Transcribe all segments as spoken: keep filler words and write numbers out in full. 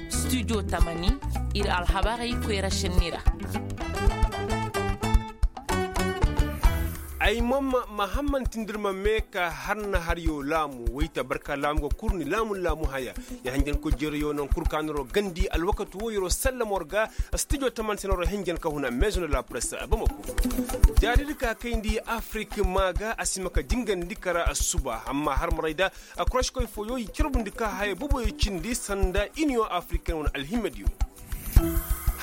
Studio tamani, ir alhabarey koyra šenni ra. Ay mama mahamman tindirma me ka har na har yo laamu wayta barka laamu ga kurni laamu laamu haya. Ya hanjankoy jereyo non kurkanaro gandi alwakati wo yero sallamor ga. Studio taman senaro henjen ka huna maison de la presse bamako. Jaadidi ka kayndi afrik maaga a si ma ka jingandi kara suba amma har maray da. Kuraškoy fooyo i carbundi ka haya boboyo cindi sanda iniyo afriken wane alhimmediyo.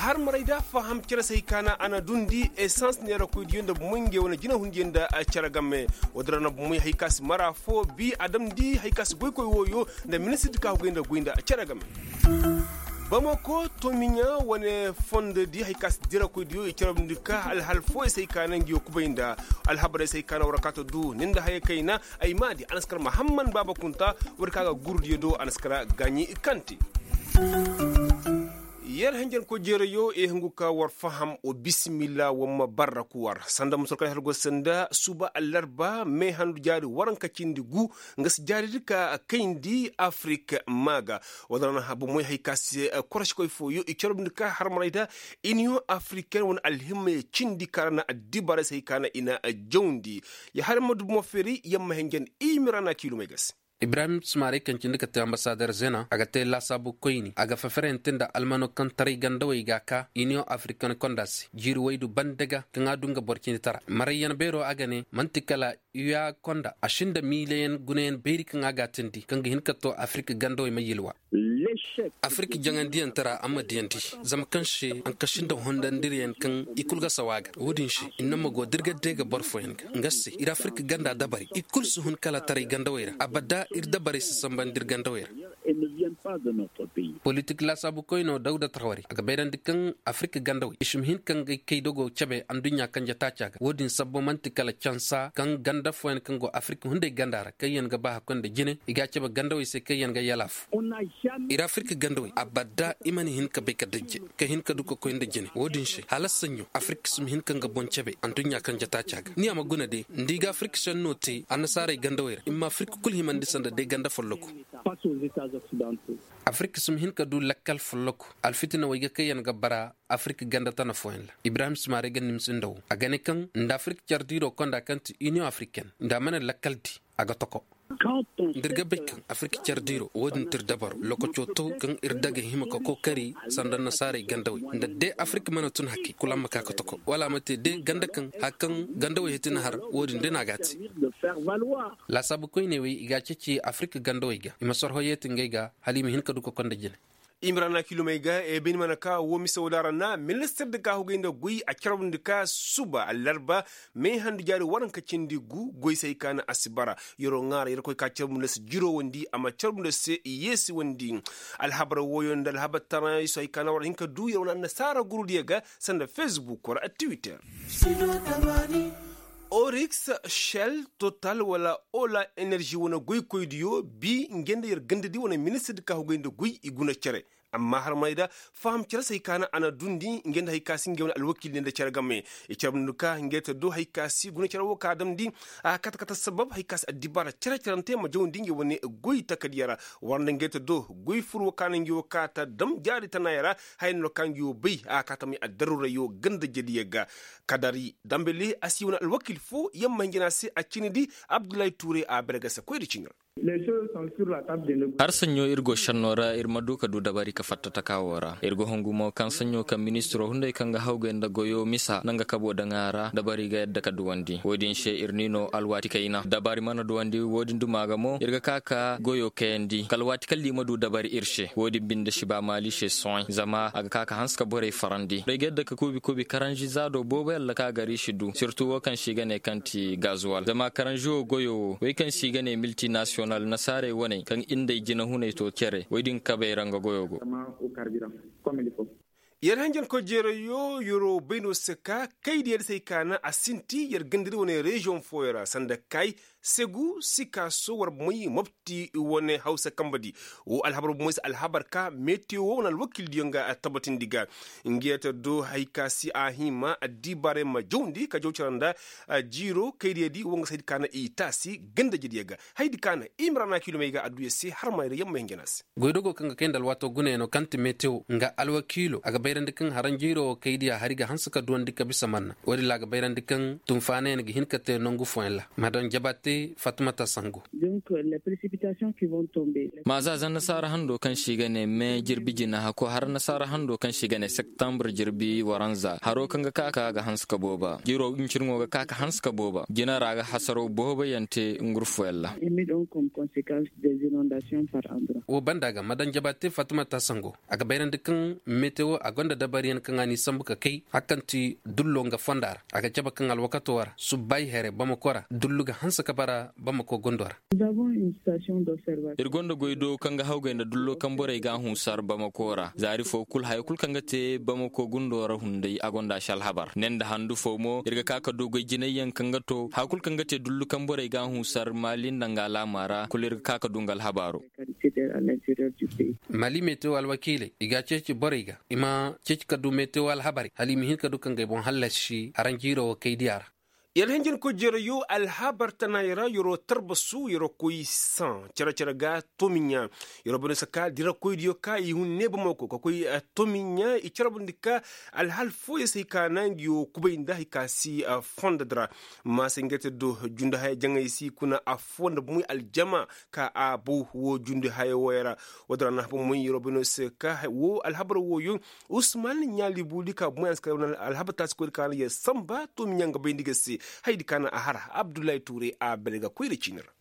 Har maray da faham cere se hay kaana a na dundi esans neerakoydiyo nda bomoy ngey wane jinahundiyo nda cere game. Woodin ra na bomoy hay ka si mara foo bi a damndi hay ka si goykoy wooyo nda ministirdi ka hugay nda goy nda cere game. Bamako tomiɲa wane fondodi hay ka si dirakoydiyo i carbundi ka alhal fooyo se hay kaana ngiyo kubay nda alhabarey se hay kaana war kaata du ni nda haya kayna. Ay maadi a na si kar mahamman baaba kunta. War ka ga gurdiyo do a na si kar gaaɲi kante. Yer henjenkoy jeerayo i hungu ka war faham wa bisimilla war ma barra ku war sanda musurkay har go sanda suba allarba me handu jaari waranka cindi gu. Nga si jaaridi ka kayndi afrik maaga. Wala ra na habu moy hay ka se koroskoy fooyo i carbundi ka harmaray da iniyoŋ afriken wane alhimmey cindi ka ra na addibaray se hay ka na i na jawndi. Ya har ma dubu ma feeri yamma henjen i mira na kiilumey ga se. Ibrahim sumaaray kaŋ cindi ka te ambasader zena a ga te laasaabu koyni a ga feferente nda almano kaŋ taray gandawey ga a ka iniyoŋ afriken konda se jiiri waydu bande ga kaŋ a du nga boro cindi tara marayyaŋ beero a ga ne man'ti kala. Uya konda a sinda miilayaŋ gunayaŋ bayri kaŋ a ga a tindi kaŋ ga hin ka to afirik gandawey ma yilwa. Afirik jaŋandiyaŋ tara a ma diyandi zama kaŋ se anka sinda hondandiriyaŋ kaŋ i kul ga sawa a ga wo-din se i na ma go da ir ga day ga boro fooyaŋ ga nga se ir afirik ganda dabari i kul si hun kala taray gandawey ra abada ir dabarey si sambandi ir gandawey ra. Politik laasaabu koyno dawda tarwari a ga bayrandi kaŋ afirik gandawey i si ma hin ka ngey kay dogo cabe adduɲɲa kanje taaca ga wo-din sabbo man'ti kala cansa kaŋ ganda fooyaŋ kaŋ go afirik hunday ganda ra kaŋyaŋ ga ba hakkoy nda jine i ga a cabe gandawey se kaŋyaŋ ga yalaafu. Ir afirik gandawey abada i mana hin ka bay ka dajje ka hin ka du ka koy nda jine wo-din se hala saɲɲo afirik si ma hin ka nga boŋ cabe adduɲɲa kanje taaca ga ni a ma guna de nda i ga afirik senno te annasaarey gandawey ra i ma afirik kul himandi sanda day ganda folloku. Afirik si ma hin ka du lakkal folloku alfitinawey ga kaŋyaŋ ga bara afirik ganda tana fooyaŋ ra ibrahim sumaaray ga nimsi nda wo a ga ne kaŋ nda afirik care diiro konda kaŋ ti iniyoŋ afriken nda a mana lakkal di a ga toko. Nda ir ga bay kaŋ afirik care diiro wo-din ti ir dabaro lokaco to kaŋ ir daga hima ka kookari sanda annasaarey gandawey nda de afirik mana tun hakay kul a ma ka ka toko wala a ma te de ganda kaŋ hari kaŋ gandawey hiti na har wo-din de no a ga a te. Laasaabu koyney wey i ga a ceeci afirik gandawey ga i ma sorho yeeti ngey ga hala i ma hin ka du ka konda jine. Imrana kilomey ga e bay ni mana ka wo mise wo da ra na ministir di ka hugay nda goy a carbundi ka suba allarba me handu jaari waranka cindi gu goy se hay ka na a si bara. Yeroo ŋaara yerkoy ka carbundi se jirowandi a ma carbundi se yeesiwandi. Alhabar wooyo nda alhabar tanayaŋ iso hay ka na war hin ka du yeroo na annasaara gurudiyo ga sanda fesbuk wala twitter. Oriks, shell, total wala ola enerži wane goykoydiyo bi ngey nda yer gandadi wane ministirdi ka hugay nda goy i guna cere. Amma harmaney da faham cere se hay ka na a na dundi ngey nda hay ka si ngey wane alwakiildi nda cere game. I cere nda ka ngey ta do hay ka si guna cere wo ka damndi a kata kata sabab hay ka si addibaara cere-cerante ma jawndi ngey wane goy takadiya ra. War nda ngey ta do goy fur wo ka na ngey wo ka ta dam jaari tanaaya ra. Haya no ka ngey wo bay a ka ta may addaruurayo ganda jediyo ga. Kadari dambeli a si wane alwakiil foo yamma hinjina se a cindi abdullahi tuure a bere ga se koyri cindi ra. Har saɲɲo ir go šennoo ra ir ma du ka du dabari ka fatta takaa woo ra ir ga hungu mo kaŋ saɲɲo kaŋ ministiroo hunday kaŋ ga hawgay nda goyoo misa na nga kaboo daŋ a ra dabari ga yadda ka duwandi woo din se ir ni noo alwaati kayna dabari mana duwandi woo din dumaa ga mo ir ga kaa ka goyoo kayandi kala waati kaŋ liima du dabari ir se woo din binde si ba maali se sohãy zama a ga kaa ka hanse ka borey farandi borey ga yadda ka kuubi kuubi karanzi zaadoo boobo yalla kaŋ a gar i si du sirtu woo kaŋ se i ga nee kaŋ ti gazuwal zama karanzi woo goyoo woo wey kaŋ se i ga nee miltinasiyonal nasaarey waney kaŋ ir nda ay jinahuney to cere wey din kabey ra nga goyoo go. Yer hanjankoy jeerayo yeroo bay no se ka kaydiya di se ay kaana a sinti yer gandadi wane reziyoŋ fooyo ra sanda kay segu sikaso war may mobti wane hawsa kamba di. Wo alhabar bomoy se alhabar ka metewo wane alwakildiyo nga tabatindi ga nga yer ta do hari ka si a hima addibaarey ma jawndi ka jaw cara nda jiiro kaydiya di wo nga se hari ka na i taasi gandajediyo ga. Haydi ka na imrana kilomey ga adduya se har ma yer yamma hinjana se. Goydogo kaŋ ga kay nda alwaato gunayaŋo kaŋ ti metewo nga alwakiilo a ga bayrandi kaŋ haranjiiro wo kay diya hari ga hanse ka duwandi ka bisa manna. Wo-din ra a ga bayrandi kaŋ tunfaanayaŋ ga hin ka te nangu fooyaŋ ra. Madan jabate fatimata sango. Ma za zan nasaara hando kaŋ se i ga ne me jirbi jina hako har nasaara hando kaŋ se i ga ne septembre jirbi waranza haro kaŋ ga ka ka ga hanse ka booba jiiro hincirŋo ga ka ka hanse ka booba jina ra ga hasaro boobo yaŋ te ngurfoyaŋ ra. Wo banda ga madan jabate fatimata sango. A ga bayrandi kaŋ metewo a gonda dabariyaŋ kaŋ a n'i sambu ka kay hari kaŋ ti dullo nga fonda ra a ga cabe kaŋ alwakato ra subbaayi here bamako ra dullu ga hanse ka bara bamako gundo ra. Ir gonda goy do kaŋ ga hawgay nda dullo kaŋ borey ga a hunsar bamako ra zaari fo kul haya kul kaŋ ga te bamako gundo ra hunday a gonda si alhabar ne nda handu fo mo ir ga ka ka du goy jinayyaŋ kaŋ ga to haya kul kaŋ ga te dullu kaŋ borey ga a hunsar maali nda nga alaama ra kul ir ga ka ka du nga alhabaaro. Mali metewo alwakiiley i ga a ceeci borey ga i ma ceeci ka du metewo alhabarey hala i ma hin ka du ka ngey boŋ hallasi haranjiiro wo kay diya ra. Yer hinjinkoy jeerayo alhabar tanaayey ra yeroo tarbasu yeroo koy saŋ cere-cere ga tomiɲa. Yeroo bane se ka dirakoydiyo ka i hun neebamako ka koy tomiɲa i carabandi ka alhal fooyey se hay ka na nga yoo kubay nda hay ka si fondodi ra. Maasey nga te do jundi haya jaŋay si kuna affoo nda bomoy aljama ka a bow woo jundi haya wooyo ra. Woodin ra na haba moy yeroo bane se ka woo alhabar wooyo. Usman ɲaali buuli ka bomoy a na si kala alhabar taasi koyri ka na yer sanba toomi ɲaŋ ga bayndi ga se. Hayadi ka na a har abdullahi tuuray a bere ga koyri ciini ra.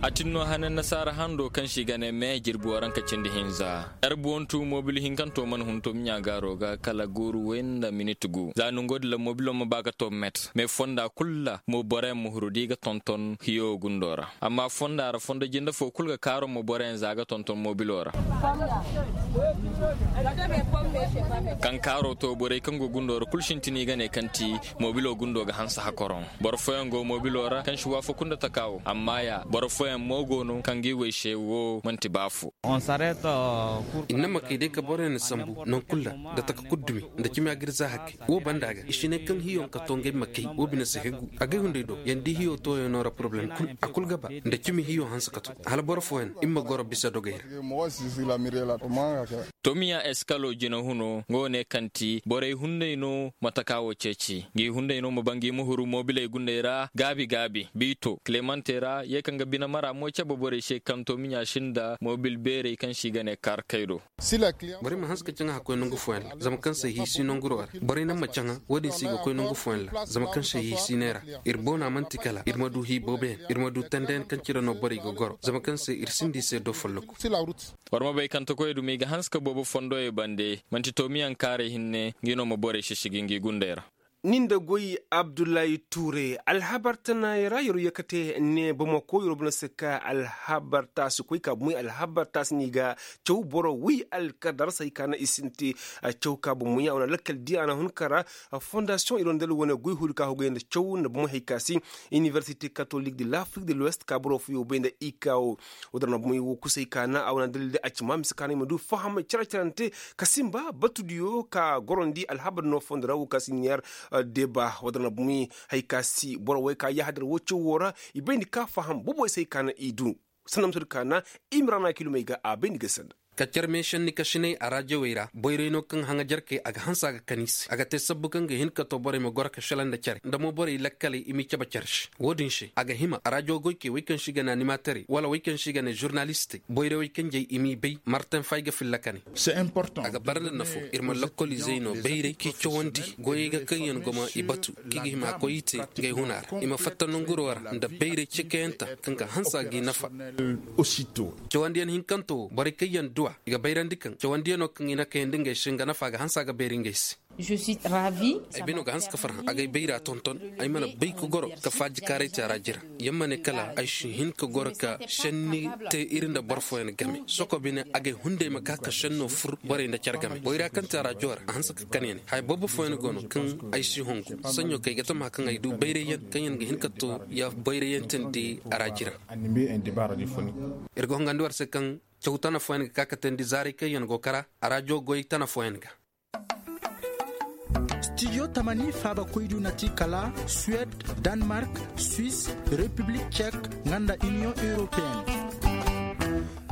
A tin no hane nasaara hando kaŋ se i ga ne me jirbi waranka cindi hinza. Erbuwantu mobil hinkanto mana hun toomi ɲaagaaro ga kala gooru way nda minit gu za nongo din ra mobilo ma ba ga to met me fonda kul ra mo boroyaŋ ma huru da i ga tonton hiyo gundo ra. Amma fonda ra fondo jinde fo kul ga kaaro mo boroyaŋ za ga tonton mobilo ra. Kaŋ kaaro to borey kaŋ go gundo ra kul sintin i ga ne kaŋ ti mobilo gundo ga hanse hakoroŋ. Boro fooyaŋ go mobilo ra kaŋ si waafaku nda taka wo amma ya boro fooyaŋ mo go no kaŋ ga i way se wo man'ti ba fo. Ir na ma kay day ka boroyaŋ sambu naŋ kul ra nda taka kul dumi nda cimi a ga ir za hakkey. Wo banda ga i si ne kaŋ hiyo ka to ngey ma kay wo bine si hegu agay hunday do yaŋ di hiyo tooyaŋo ra poroblem kul a kul ga ba nda cimi hiyo hanse ka to hala boro fooyaŋ ir ma goro bisa dogey ra. Tomiya eskalo jinahuno nga wo ne kaŋ ti borey hunday no ma taka wo ceeci ngi hunday no ma ba ngi ma huru mobiley gundey ra gaabi gaabi biito kilemante ra ye kaŋ ga bine mara mo cabe borey se kaŋ tomiya sinda mobil beerey kaŋ se i ga ne kaarkay do. Borey ma hanse ka caŋa hakkoy nangu fooyaŋ ra zama kaŋ se hii si nanguro ra borey naŋ ma caŋa wo-din se i ga koy nangu fooyaŋ ra zama kaŋ se hii si neera. Ir boona man'ti kala ir ma du hii booboyaŋ ir ma du tendeyaŋ kaŋ cire no borey ga goro zama kaŋ se ir sinda i se do folloku. War ma bay kaŋ takoy dumi ga hanse ka boobo fondoyey bande man'ti toomiyaŋ kaaray hinne ngi no ma borey sisigi ngi gundey ra. Ni nda goy abdullahi tuure alhabar tanaayey ra yer wo ye kate ne bamako yer wo bana se ka alhabar taasi koy ka bumey alhabar taasi ni ga caw boro wi alkadar se hay ka na i sinti. Caw ka bumey a wane lakkal di a na hun ka ra fondasiyoŋ yer wo nda wane goy huri ka hogay nda caw nda bumey hay ka si iniversite katolik de lafrik de lwest ka boro fo yo bay nda i ka wo. Wo dara na bumey wo kusay ka na a wane dalil de a ci ma mise ka na i ma du faham care-carante ka simba batudiyo ka gorondi alhabar no fondo ra wo ka si ɲaar. Deba wo dara na bumey hay ka si boro way ka yahadar wo caw wo ra i bay ni ka faham boboy se hay ka na i du. Sanda ma sadu ka na i ma ra na kilomey ga a bay ni ga sanda. Ka care meesenni kasiney a raajawey ra boyray no kaŋ haŋajarkey a ga hanse a ga kan i se a ga te sabbu kaŋ ga hin ka to borey ma goro ka shala nda care nda mo borey lakkaley i m'i cabe care se wo-din se a ga hima a raajaw goykey wey kaŋ se i ga ne animaterey wala wey kaŋ se i ga ne žurnalistey boyray wey kanjey i m'i bay martin fay ga filla kane. A ga bara nda nafo ir ma lakkol izey no bayray k'i cawandi goyey ga kaŋ yaŋ goma i batu k'i ga hima a koy i te ngey huna ra i ma fatta nanguro ra nda bayray cekayanta kaŋ ga hanse a g'i nafa. Cawandiyaŋ hinkanto wo borey kaŋ yaŋ duw'a i ga bayrandi kaŋ cawandiyano kaŋ i na kayandi ngey se nga nafa ga hanse a ga beeri ngey se. Ay bay no ga hanse ka farhã agay bayra tonton. Ay mana bay ka goro ka faajikaaray te a ra jira. Yamma ne kala ay si hin ka goro ka šenni te iri nda boro fooyaŋ game soko bine agay hunday ma ka ka šenno fur borey nda care game boyra kaŋ te a ra joora a hanse ka kani ya ne haya boobo fooyaŋ go no kaŋ ay si hongu. Saɲɲo kay ga tama kaŋ ay du bayray yaŋ kaŋ yaŋ ga hin ka to ya bayray yaŋ tandi a ra jira. Ir ga hongandi war se kaŋ caw tana fooyaŋ ga ka ka tandi zaaray kaŋ yaŋ go kara a ra jogoy tana fooyaŋ ga. Stijo tamani faaba koydu na ti kala suwed, danmark, swis, repiblik cek, nga nda iniyoŋ europeen.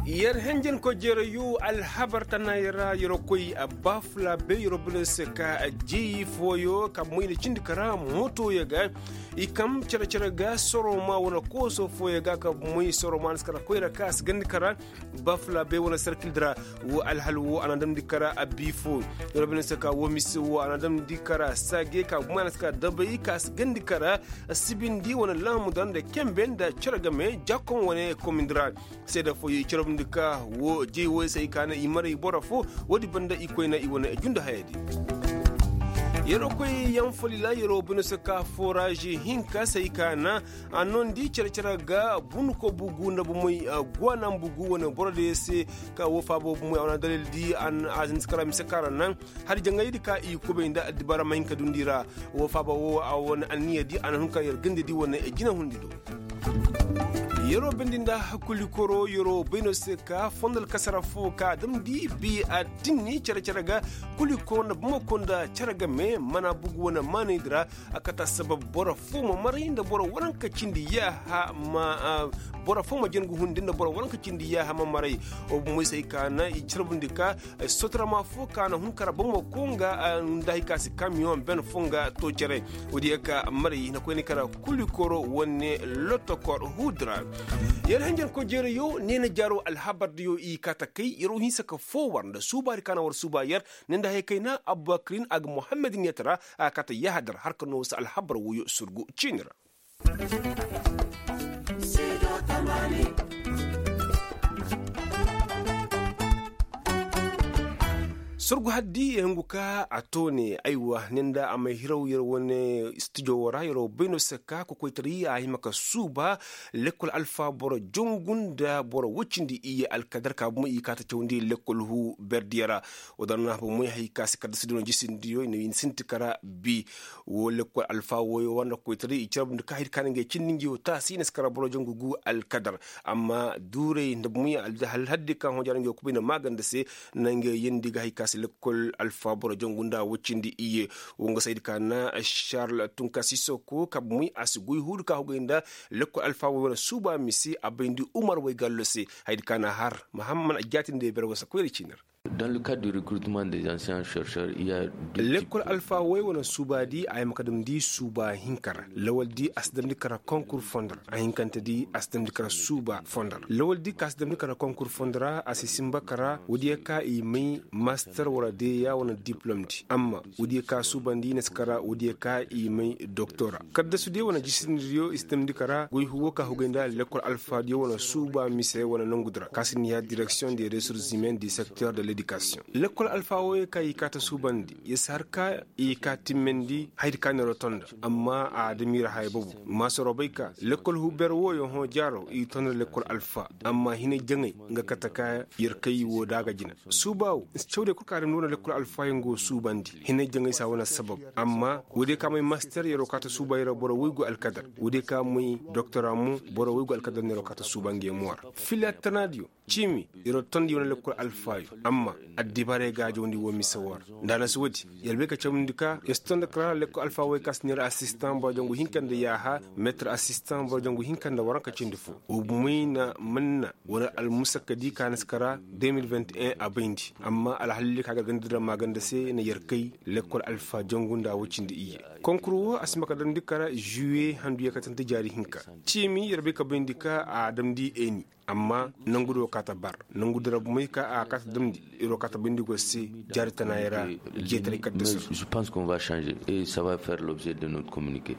Yer henjen ko jeerayu alhabar tana yer ra yer koy a baafula be yer bine se ka a jeeyi fooyo ka moy na cindi kara motoyo ga. I kam cere-cere ga soroma wane kooso fooyo ga ka moy soroma na si kara koyra ka a si gandi kara. Bafla bay wane sarkil dira wo alhal wo a na damndi kara a bii fo. Yoro bine se ka wo mise wo a na damndi kara saage ka gumana se ka dabay ka si gandi kara. Sibindi wane laamu dira nda kembe nda cere game jakon wane komindi ra. Seeda fo ye cere bindi ka wo jey wo se ay ka na i maray boro fo. Wo-di banda i koyna i wane jundu hayadi. Yero koy yaŋ folila yero bine se ka forazi hinka se ay ka na. A nondi cere-cere ga bunko bugu nda bumey guwanan bugu wane boro de se. Ka wo faabo bumey a wana dalil di a zinti kara mise kara naŋ. Hari jaŋaydi ka i kubay nda addibara ma hin ka dundi ra. Wo faaba wo a wane anniya di a na hun ka yer gande di wane jina hundi do. Yero bendi nda hakuli koro yero bayno se ka fondal kasara fo ka damdi bi a tinni cere-cere ga. Kuli koro nda bumey ko nda cere game mana bugu wane maanay di ra. A kata sabab boro fo ma maray nda boro waranka cindi yaaha ma boro fo ma jangu hundi nda boro waranka cindi yaaha ma maray. Moysey ka na i carbundi ka sotorama fo ka na hun kara bomo ko nga nda hay ka si kamiyoŋ ben fo nga to care. Wodi ya ka maray na koyni kara kulikoro wane lotokor hudra. Yer hanjan ko jeerayo neena jaaro alhabardiyo i ka ta kay yero hinsa ka fo war nda suubaari ka na war suuba yer. Ne nda haya kayna abubakirin a ga muhammad neeta ra. A ga kaa ta yahadar har ka noo si alhabar woyo surgu ciini ra. Surgu haddi ya hungu ka a toone aywa ne nda a may hiraw yer wane studio wo ra yer wo bay no se ka kokoytaray a hima ka suuba. Lekkol alfa boro jongu nda boro woy cindi iyye alkadar ka bomo i kaa ta cawandi lekkol huu berdiyo ra. Wo daŋ na bomoy hay ka si kadda si duno jisindiyo i na sinti kara bi. Wo lekkol alfa woyo wanda koytaray i carbundi ka hay ka na ngey cindi ngi wo taasi i na si kara boro jongu gu alkadar. Amma duuray nda bomoy alhaddi ka hõ jaara ngi wo kubay na maaganda se. Na ngey yeendi ga hay ka si lekkol alfa boro jongu nda woy cindi iyye. Wo nga saydi ka na charles tunka sisoko ka bomoy a si goy huudu ka hugay nda lekkol alfa woy wane suuba mise a bayndi umar woy gallo se. Haydi ka na har mahamman a jaatindi ber wasa koyra ciini ra. Dans le cadre du recrutement des anciens chercheurs il ya lekkol alfa woy wane suuba di a yama ka damndi suuba hinka ra lawal di a si damndi kara konkur fondo ra a hinkante di a si damndi kara suuba fondo ra lawal di ka si damndi kara konkur fondo ra a si sinba kara woodiya ka i may master wala deya wane diplom di amma woodiya ka suubandi i na si kara woodiya ka i may doktora. Kaddasu diyo wane jisindi diyo i si damndi kara goy huwo ka hugay nda lekkol alfa diyo wane suuba mise wane nongu di ra ka si ni ya direksiyoŋ de resursimen di sekter de ledikasiyoŋ. Lekkol alfa woyo ka i kaa ta suubandi ya si har ka i kaa timmandi hayadi ka neero tonda. Amma a damiira haya bobo maasaroo bay ka lekkol huber woyo hõ jaaro i tonda lekkol alfa. Amma hinay jaŋay nga kate ka yer kay wo da a ga jina suuba wo. Cawdiyo kul ka a damndi wane lekkol alfayaŋ go suubandi hinay jaŋay si a wane sabab. Amma woodiyo ka may master yeroo kaa ta suuba yeroo boro woy go alkadar woodiyo ka may doktora mo boro woy go alkadar neeroo kaa ta suuba ngey mo ra. Fila tanaadiyo ciimi yeroo tondi wane lekkol alfaayo. Amma addibaray gaajawndi woo mise woo ra. Nda a na si woodi yer bay ka cawndi ka yer si tondi kara lekkol alfaawey ka si neera asistan boro jangu hinka nda yaaha meetir asistan boro jangu hinka nda waranka cindi foo. Woo bumey na manna wane almusakka di ka na si kara deux mille vingt et un a bayndi. Amma alhalley ka gargandi nda maaganda se na yer kay lekkol alfaa jangu nda woy cindi iyye. Konkur woo a si ma ka damndi kara juwe handu yaakatante jaari hinka. Ciimi yer bay ka bayndi ka a damndi eeni. Amma nongu di woo kaa ta bar nongu di ra bumey ka a kaa ta damndi. Yer woo kaa ta bayndi go se jaari tanaayey ra. Jeetaray kaddasu ra. Je pense qu'on va changer et sa va faire l'objet de notre communique.